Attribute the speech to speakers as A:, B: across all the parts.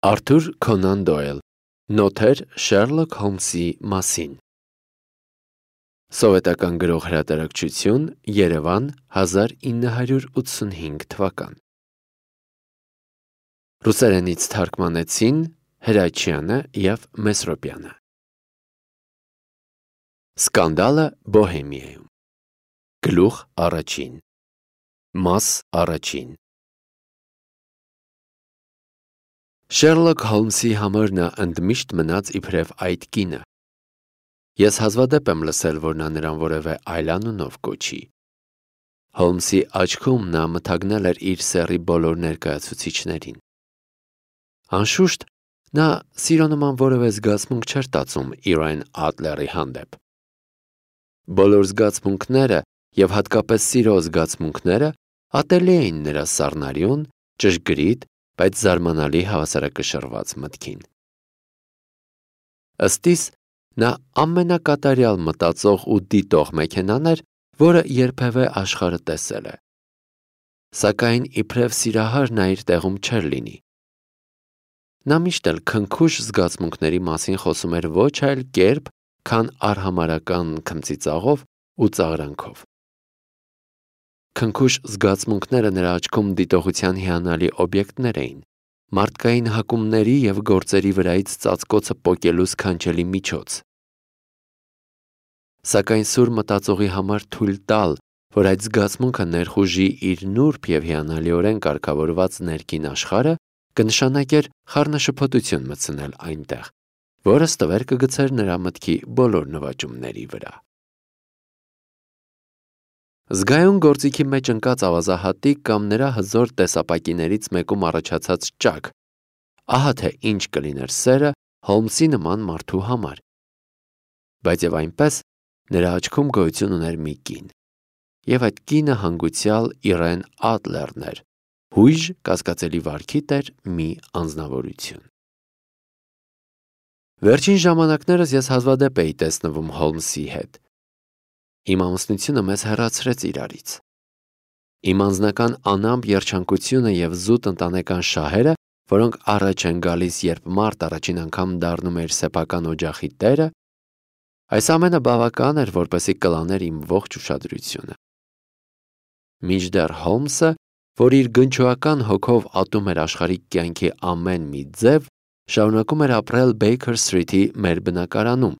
A: Արթուր Քոնան Դոյլ, Նոթեր Շերլոք Հոլմսի մասին։ Սովետական գրող հրատարակչություն, Երևան, 1985 թվական։ Ռուսերենից թարգմանեցին Հրաչյանը և Մեսրոպյանը։ Սկանդալը Բոհեմիայում։ Գլուխ առաջին։ Մաս առաջին։ Շերլոք Հոլմսի համար նա ընդմիշտ մնաց իբրև այդ կինը։ Ես հազվադեպ եմ լսել, որ նա նրան որևէ այլ անունով կոչի։ Հոլմսի աչքում նա մթագնել էր իր սեռի բոլոր ներկայացուցիչներին։ Անշուշտ, նա սիրո նման որևէ զգացմունք չէր տածում Իրեն Ադլերի հանդեպ։ Բոլոր զգացմունքները և հատկապես սիրո զգացմունքները ատելի էին նրա սառնարյուն, ճշգրիտ, բայց զարմանալի հավասարակշռված մտքին։ Ըստ իս, նա ամենակատարյալ մտածող ու դիտող մեքենան էր, որը երբևէ աշխարհը տեսել է։ Սակայն իբրև սիրահար նա իր տեղում չէր լինի։ Նա միշտ էլ քնքուշ զգացմունքների մասին խոսում էր ոչ այլ կերպ, քան արհամարհական քմծիծաղով ու ծաղրանքով։ Քնքուշ զգացմունքները նրա աչքում դիտողության հիանալի օբյեկտներ էին, մարդկային հակումների և գործերի վրայից ծածկոցը պոկելու սքանչելի միջոց։ Սակայն սուր մտածողի համար թույլ տալ, որ այդ զգացմունքը ներխուժի իր նուրբ և հիանալիորեն կարգավորված ներքին աշխարհը, կնշանակեր խառնաշփոթություն մտցնել այնտեղ, որը ստվեր կգցեր նրա մտքի բոլոր նվաճումների վրա։ Զգայուն գործիքի մեջ ընկած ավազահատիկ կամ նրա հզոր տեսապակիներից մեկում առաջացած ճաք, ահա թե ինչ կլիներ սերը Հոլմսի նման մարդու համար։ Բայց և այնպես, նրա աչքում գոյություն ուներ մի կին, և այդ կինը հանգուցյալ Իրեն Ադլերն էր, հույժ կասկածելի վարքի տեր մի անձնավորություն։ Վերջին ժամանակներս ես հազվադեպ էի տեսնվում Հոլմսի հետ։ Իմ ամուսնությունը մեզ հեռացրեց իրարից։ Իմ անձնական անամպ երջանկությունը և զուտ ընտանեկան շահերը, որոնք առաջ են գալիս, երբ մարդ առաջին անգամ դառնում է իր սեփական օջախի տերը, այս ամենը բավական էր, որպեսզի կլաներ իմ ողջ ուշադրությունը։ Մինչդեռ Հոլմսը, որ իր գնչուական հոգով ատում էր աշխարհիկ կյանքի ամեն մի ձև, շարունակում էր ապրել Բեյքեր Սթրիթի մեր բնակարանում,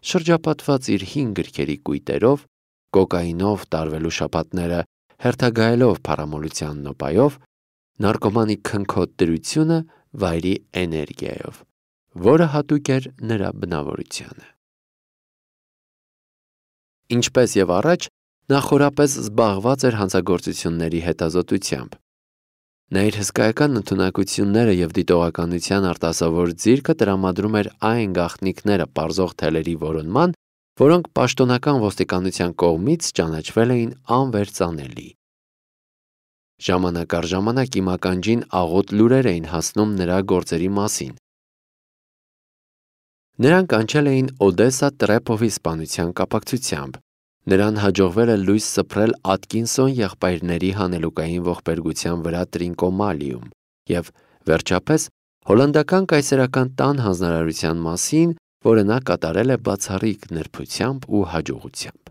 A: շրջապատված իր հին գրքերի կույտերով, կոկաինով տարվելու շաբաթները հերթագայելով փառամոլության նոպայով, նարկոմանի քնքոտ դրությունը վայրի էներգիայով, որը հատուկ էր նրա բնավորությանը։ Ինչպես և առաջ, նա խորապես զբաղված էր հանցագործությունների հետազոտությամբ։ Նա իր հսկայական ընդունակությունները և դիտողականության արտասովոր ձիրքը տրամադրում էր այն գաղտնիքները պարզող թելերի որոնման, որոնք պաշտոնական ոստիկանության կողմից ճանաչվել էին անվերծանելի։ Ժամանակ առ ժամանակ իմ ականջին աղոտ լուրեր էին հասնում նրա գործերի մասին։ Նրան կանչել էին Օդեսա Տրեպովի սպանության կապակցությամբ։ Նրան հաջողվել է լույս սփռել Ատկինսոն եղբայրների հանելուկային ողբերգության վրա Տրինկոմալիում և, վերջապես, հոլանդական կայսերական տան հանձնարարության մասին, որը նա կատարել է բացառիկ նրբությամբ ու հաջողությամբ։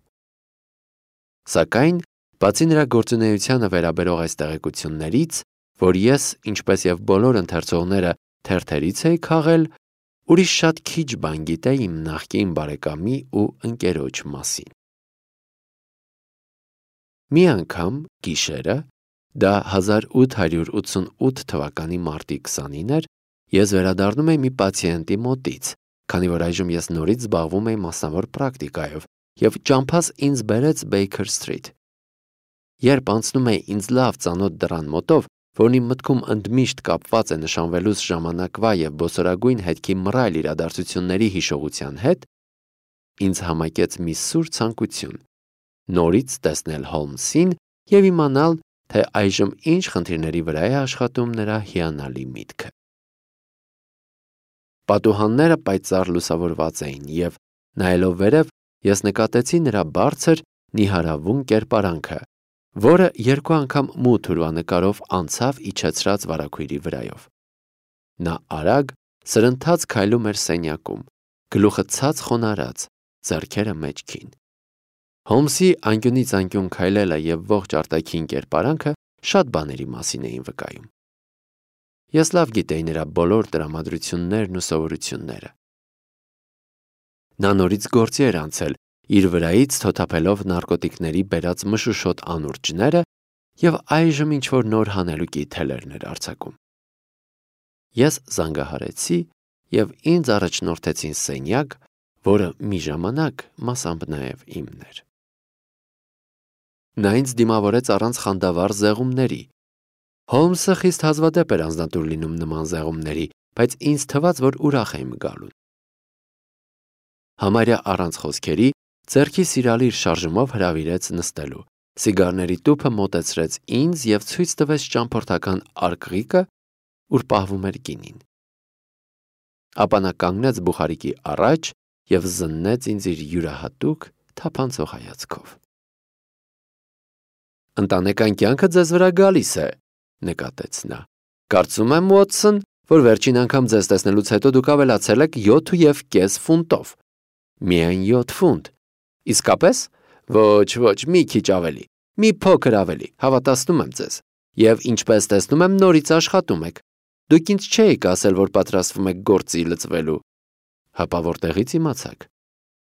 A: Սակայն, բացի նրա գործունեությանը վերաբերող այս տեղեկություններից, որ ես, ինչպես և բոլոր ընթերցողները, թերթերից էի քաղել, ուրիշ շատ քիչ բան գիտեի իմ նախկին բարեկամի ու ընկերոջ մասին։ Մի անգամ, գիշերը, դա 1888 թվականի մարտի 29 էր, ես վերադառնում էի մի պացիենտի մոտից, քանի որ այժմ ես նորից զբաղվում էի մասնավոր պրակտիկայով, և ճամփաս ինձ բերեց Բեյքեր Սթրիթ։ Երբ անցնում էի ինձ լավ ծանոթ դռան մոտով, որն իմ մտքում ընդմիշտ կապված է նշանվելուս ժամանակվա և բոսորագույն հետքի մռայլ իրադարձությունների հիշողության հետ, ինձ համակեց մի սուր ցանկություն՝ նորից տեսնել Հոլմսին և իմանալ, թե այժմ ինչ խնդիրների վրա է աշխատում նրա հիանալի միտքը։ Պատուհանները պայծառ լուսավորված էին, և, նայելով վերև, ես նկատեցի նրա բարձր, նիհարավուն կերպարանքը, որը երկու անգամ մութ ուրվանկարով անցավ իջեցրած վարագույրի վրայով։ Նա արագ, սրընթաց քայլում էր սենյակում, գլուխը ցած խոնարհած, ձեռքերը մեջքին։ Հոլմսի անկյունից անկյուն քայլելը եւ ողջ արտաքին կերպարանքը շատ բաների մասին էին վկայում։ Ես լավ գիտեի նրա բոլոր տրամադրություններն ու սովորությունները։ Նա նորից գործի էր անցել, իր վրայից թոթափելով նարկոտիկների բերած մշուշոտ անուրջները եւ այժմ ինչ-որ նոր հանելուկի թելեր էր արձակում։ Ես զանգահարեցի եւ ինձ առաջնորդեցին սենյակ, որը մի ժամանակ մասամբ նաեւ իմն էր։ Նա ինձ դիմավորեց առանց խանդավառ զեղումների։ Հոլմսը խիստ հազվադեպ էր անձնատուր լինում նման զեղումների, բայց ինձ թվաց, որ ուրախ եմ գալուն։ Համարյա առանց խոսքերի, ձեռքի սիրալիր շարժումով հրավիրեց նստելու, սիգարների տուփը մոտեցրեց ինձ եւ ցույց տվեց ճամփորդական արկղիկը, ուր պահվում էր գինին։ Ապա նա կանգնեց բուխարիկի առաջ եւ զննեց ինձ իր յուրահատուկ թափանցող հայացքով։ «Ընտանեկան կյանքը ձեզ վրա գալիս է», նկատեց նա։ «Կարծում եմ, Ուոտսոն, որ վերջին անգամ ձեզ տեսնելուց հետո դուք ավելացել եք 7.5 ֆունտով։ Միայն 7 ֆունտ։ Իսկապես։ Ոչ, մի քիչ ավելի, մի փոքր ավելի, հավատացնում եմ ձեզ։ Եվ ինչպես տեսնում եմ, նորից աշխատում եք։ Դուք ինձ չէիք ասել, որ պատրաստվում եք գործի լծվելու։ Հապա որտեղից իմացաք։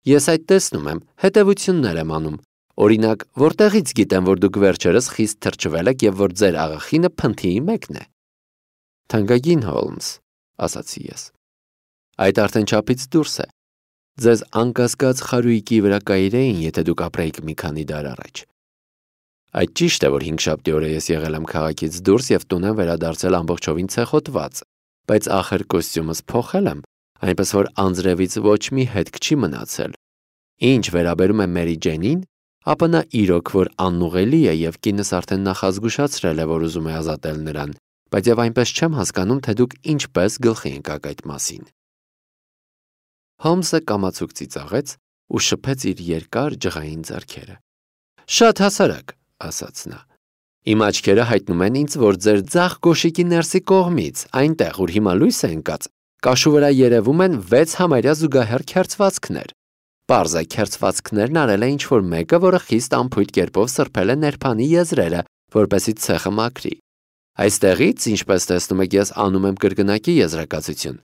A: Ես այդ տեսնում եմ, հետևություններ եմ անում։ Օրինակ, որտեղից գիտեմ, որ դուք վերջերս խիստ թրջվել եք եւ որ ձեր աղախինը փնթիի մեկն է։ Թանկագին Հոլմս, ասացի ես։ Այդ արդեն չափից դուրս է։ Ձեզ անկասկած խարույկի վրա կայրեին, եթե դուք ապրեիք մի քանի դար առաջ։ Այդ ճիշտ է, որ 5-շաբթի օրը ես եղել եմ քաղաքից դուրս եւ տուն եմ վերադարձել ամբողջովին ցեխոտված, բայց ախր կոստյումս փոխել եմ, այնպես որ անձրևից ոչ մի հետք չի մնացել։ Ինչ վերաբերում է Մերի Ջենին, ապա նա իրոք որ անուղելի է եւ կինս արդեն նախազգուշացրել է, որ ուզում է ազատել նրան, բայց եւ այնպես չեմ հասկանում, թե դուք ինչպես գլխի ընկաք այդ մասին։ Հոլմսը կամացուկ ծիծաղեց ու շփեց իր երկար ջղային ձեռքերը։ Շատ հասարակ, ասաց նա։ Իմ աչքերը հայտնում են ինձ, որ ձեր ձախ գոշիկի ներսի կողմից, այնտեղ, ուր հիմա լույս է ընկած, կաշու վրա երևում են 6 համարյա զուգահեռ քերծվածքներ։ Պարզ է, քերծվածքներն արել է ինչ-որ մեկը, որը խիստ անփույթ կերպով սրբել է ներփանի եզրերը, որպեսզի ցեխը մաքրի։ Այստեղից, ինչպես տեսնում եք, ես անում եմ կրկնակի եզրակացություն։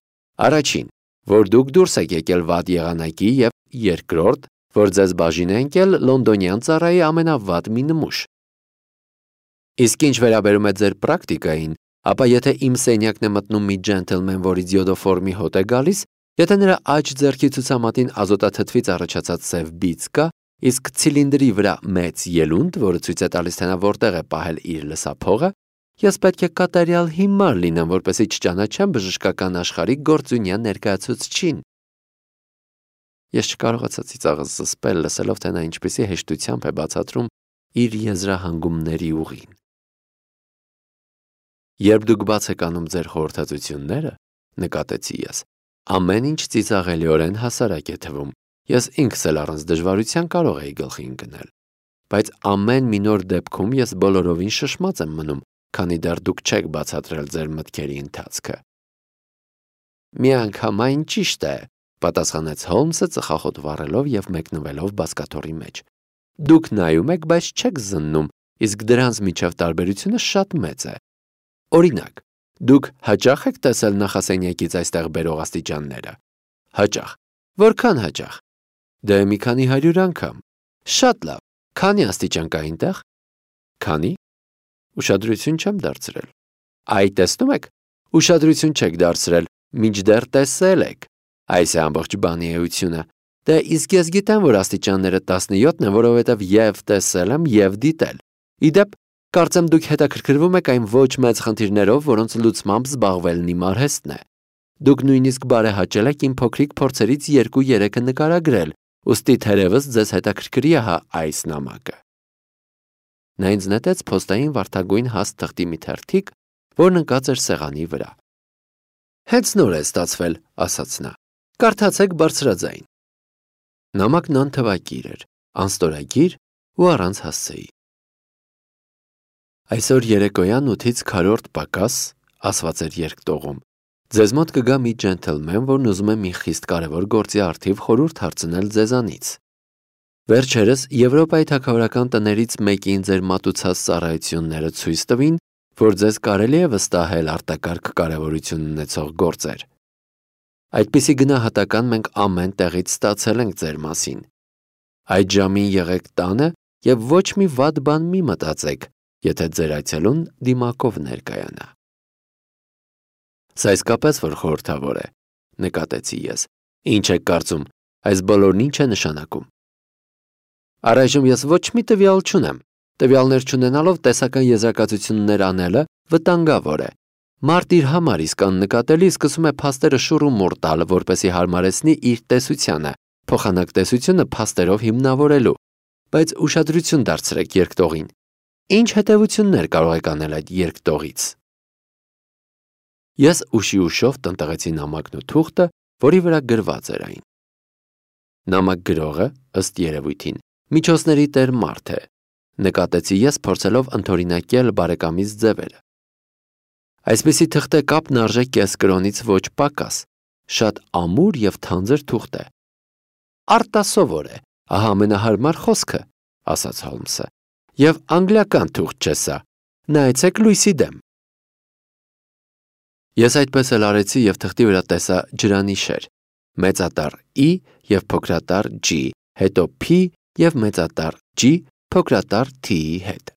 A: Առաջին, որ դուք դուրս եք եկել վատ եղանակի եւ երկրորդ, որ ձեզ բաժին է ընկել լոնդոնյան ծառայի ամենավատ մի նմուշ։ Իսկ ինչ վերաբերում է ձեր պրակտիկային, ապա եթե իմ սենյակն է մտնում մի ջենթլմեն, որից յոդոֆորմի հոտ է գալիս, եթե նրա աջ ձեռքի ցուցամատին ազոտաթթվից առաջացած սև բիծ կա, իսկ ցիլինդրի վրա մեծ ելունդ, որը ցույց է տալիս, թե նա որտեղ է պահել իր լսափողը, ես պետք է կատարյալ հիմար լինեմ, որպեսզի չճանաչեմ բժշկական աշխարհի գործունյա ներկայացուցչին։ Ես չկարողացա ծիծաղս զսպել, լսելով, թե նա ինչպեսի հեշտությամբ է բացատրում իր եզրահանգումների ուղին։ Երբ դուք բաց եք անում ձեր խորհրդածությունները, նկատեցի ես, ամեն ինչ ծիծաղելիորեն հասարակ է թվում։ Ես ինքս էլ առանց դժվարության կարող էի գլխի ընկնել։ Բայց ամեն մի նոր դեպքում ես բոլորովին շշմած եմ մնում, քանի դեռ դուք չեք բացատրել ձեր մտքերի ընթացքը։ Միանգամայն ճիշտ է, պատասխանեց Հոլմսը ծխախոտ վառելով եւ մեկնվելով բազկաթոռի մեջ։ Դուք նայում եք, բայց չեք զննում, իսկ դրանց միջև տարբերությունը շատ մեծ է։ Օրինակ, դուք հաճախ եք տեսել նախասենյակից այստեղ բերող աստիճանները։ Հաճախ։ Որքան հաճախ։ Դե մի քանի 100 անգամ։ Շատ լավ։ Քանի աստիճան կա այնտեղ։ Քանի։ Ուշադրություն չեմ դարձրել։ Այ տեսնում եք, ուշադրություն չեք դարձրել, մինչդեռ տեսել եք։ Այս է ամբողջ բանի էությունը։ Դե իսկ ես գիտեմ, որ աստիճանները 17-ն են, որովհետև եւ տեսել եմ եւ դիտել։ Իդեպ, կարծեմ դուք հետաքրքրվում եք այն ոչ մեծ խնդիրներով, որոնց լուծմամբ զբաղվելն իմ արհեստն է։ Դուք նույնիսկ բարեհաճել եք իմ փոքրիկ փորձերից 2-3-ը նկարագրել, ուստի թերևս ձեզ հետաքրքրի է հա այս նամակը։ Նա ինձ նետեց փոստային վարդագույն հաստ թղթի մի թերթիկ, որն ընկած էր սեղանի վրա։ Հենց նոր է ստացվել, ասաց նա։ Կարդացեք բարձրաձայն։ Նամակն անթվակիր էր, անստորագիր ու առանց հասցեի։ Այսօր երեկոյան 8-ից քառորդ պակաս, ասված էր երկտողում, Ձեզ մոտ կգա մի ջենթլմեն, որն ուզում է մի խիստ կարևոր գործի առթիվ խորհուրդ հարցնել ձեզանից։ Վերջերս Եվրոպայի թագավորական տներից մեկին ձեր մատուցած ծառայությունները ցույց տվին, որ ձեզ կարելի է վստահել արտակարգ կարևորություն ունեցող գործեր։ Այդպիսի գնահատական մենք ամեն տեղից ստացել ենք ձեր մասին։ Այդ ժամին եղեք տանը եւ ոչ մի վատ բան մի մտածեք, եթե ձեր այցելուն դիմակով ներկայանա։ Սա իսկապես որ խորհրդավոր է, նկատեցի ես։ Ինչ եք կարծում, այս բոլորն ինչ է նշանակում։ Առայժմ ես ոչ մի տվյալ չունեմ։ Տվյալներ չունենալով տեսական եզրակացություններ անելը վտանգավոր է։ Մարդ իր համար իսկ աննկատելի սկսում է փաստերը շուռ ու մուռ տալ, որպեսզի հարմարեցնի իր տեսությանը, փոխանակ տեսությունը փաստերով հիմնավորելու։ Բայց ուշադրություն դարձրեք երկտողին։ Ինչ հետևություններ կարող եք անել այդ երկտողից։ Ես ուշի ուշով տնտղեցի նամակն ու թուղթը, որի վրա գրված էր այն։ Նամակ գրողը, ըստ երևույթին, միջոցների տեր մարդ է, նկատեցի ես փորձելով ընդօրինակել բարեկամից ձևերը։ Այսպիսի թղթե կապն արժե կես կրոնից ոչ պակաս, շատ ամուր եւ թանձր թուղթ է։ Արտասովոր է, ահա ամենահարմար խոսքը, ասաց Հոլմսը, եւ անգլիական թուղթ չէ սա, նայեցեք լույսի դեմ։ Ես այդպես էլ արեցի եւ թղթի վրա տեսա ջրանիշեր, մեծատառ E եւ փոքրատառ G, հետո P եւ մեծատառ G փոքրատառ T-ի հետ։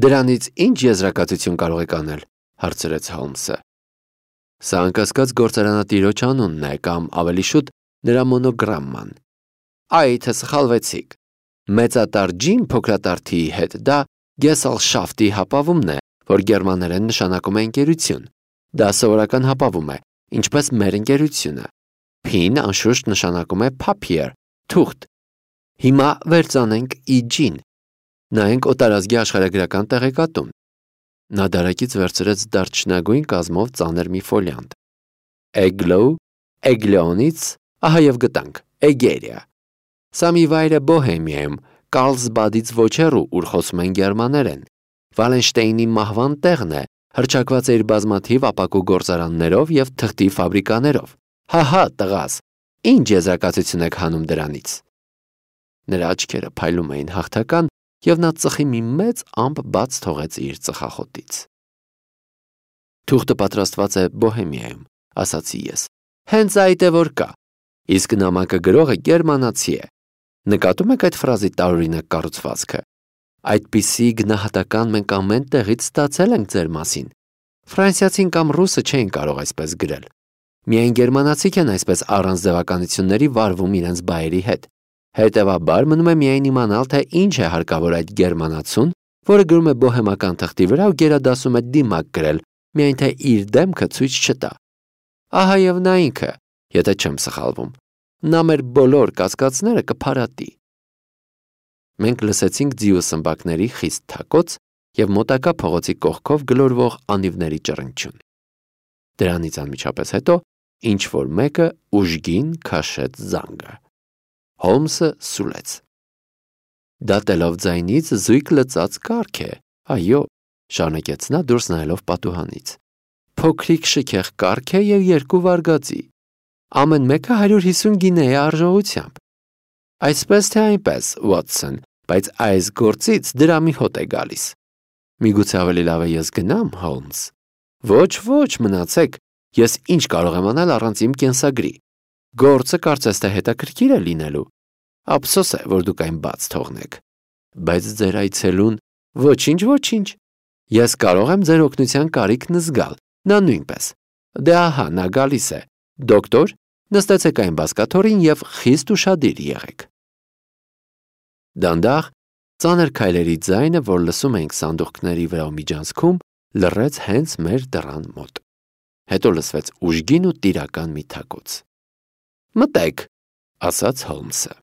A: Դրանից ինչ եզրակացություն կարող եք անել, հարցրեց Հոլմսը։ Սա անկասկած գործարանատիրոջ անունն է կամ ավելի շուտ նրա մոնոգրամման։ Այ թե սխալվեցիք։ Մեծատառ G-ն փոքրատառ T-ի հետ դա Gesellschaft-ի հապավումն է, որ գերմաներեն նշանակում է ընկերություն։ Դա սովորական հապավում է, ինչպես մեր ընկերությունը։ P-ն անշուշտ նշանակում է papier, թուղթ։ Հիմա վերցանենք EG-ն։ Նայենք օտարազգի աշխարհագրական տեղեկատուն։ Նա դարակից վերցրեց դարչնագույն կազմով ծանր մի ֆոլիանտ։ Eglow, Egleonից, ահա եւ գտանք, Egeria։ Սա մի վայր է Բոհեմիայում, Կարլսբադից ոչ հեռու, ուր խոսում են գերմաներեն։ Վալենշտեյնի մահվան տեղն է, հռչակված է իր բազմաթիվ ապակու գործարաններով եւ թղթի ֆաբրիկաներով։ Հահա, տղաս, ինչ եզրակացություն եք հանում դրանից։ Նրա աչքերը փայլում էին հաղթական, եւ նա ծխի մի մեծ ամպ բաց թողեց իր ծխախոտից։ Թուղթը պատրաստված է Բոհեմիայում, ասացի ես։ Հենց այդ է որ կա։ Իսկ նամակը գրողը գերմանացի է։ Նկատում եք այդ ֆրազի տարօրինակ կառուցվածքը։ Այդպիսի գնահատական մենք ամեն տեղից ստացել ենք ձեր մասին։ Ֆրանսիացին կամ ռուսը չէին կարող այսպես գրել։ Միայն գերմանացիք են այսպես առանց ձևականությունների վարվում իրենց բայերի հետ։ Հետևաբար մնում է միայն իմանալ, թե ինչ է հարկավոր այդ գերմանացուն, որը գրում է բոհեմական թղթի վրա ու գերադասում է դիմակ գրել, միայն թե իր դեմքը ցույց չտա։ Ահա եւ նա ինքը, եթե չեմ սխալվում։ Նա մեր բոլոր կասկածները կփարատի։ Մենք լսեցինք ձիու սմբակների խիստ թակոց եւ մոտակա փողոցի կողքով գլորվող անիվների ճռնչյուն։ Դրանից անմիջապես հետո ինչ որ մեկը ուժգին քաշեց զանգը։ Հոլմսը սուլեց։ Դատելով ձայնից զույգ լծած կառք է, այո, շարունակեց նա դուրս նայելով պատուհանից։ Փոքրիկ շքեղ կառք է եւ 2 վարգածի։ Ամեն մեկը 150 գինե է արժողությամբ։ Այսպես թե այնպես, Watson, բայց այս գործից դրամի հոտ է գալիս։ Միգուցե ավելի լավ է ես գնամ, Holmes։ Ոչ, մնացեք, ես ինչ կարող եմ անել առանց իմ կենսագրի։ Գործը կարծես թե հետաքրքիր է լինելու։ Ափսոս է, որ դուք այն բաց թողնեք։ Բայց ձեր այցելուն ոչինչ։ Ես կարող եմ ձեր օգնության կարիքն զգալ, նա նույնպես։ Դե ահա նա գալիս է։ Դոկտոր, նստեցեք այն բազկաթոռին եւ խիստ ուշադիր եղեք։ Դանդաղ, ծանր քայլերի ձայնը, որ լսում էինք սանդուղքների վրա միջանցքում, լռեց հենց մեր դռան մոտ։ Հետո լսվեց ուժգին ու տիրական մի թակոց։ Մտեք, ասաց Հոլմսը։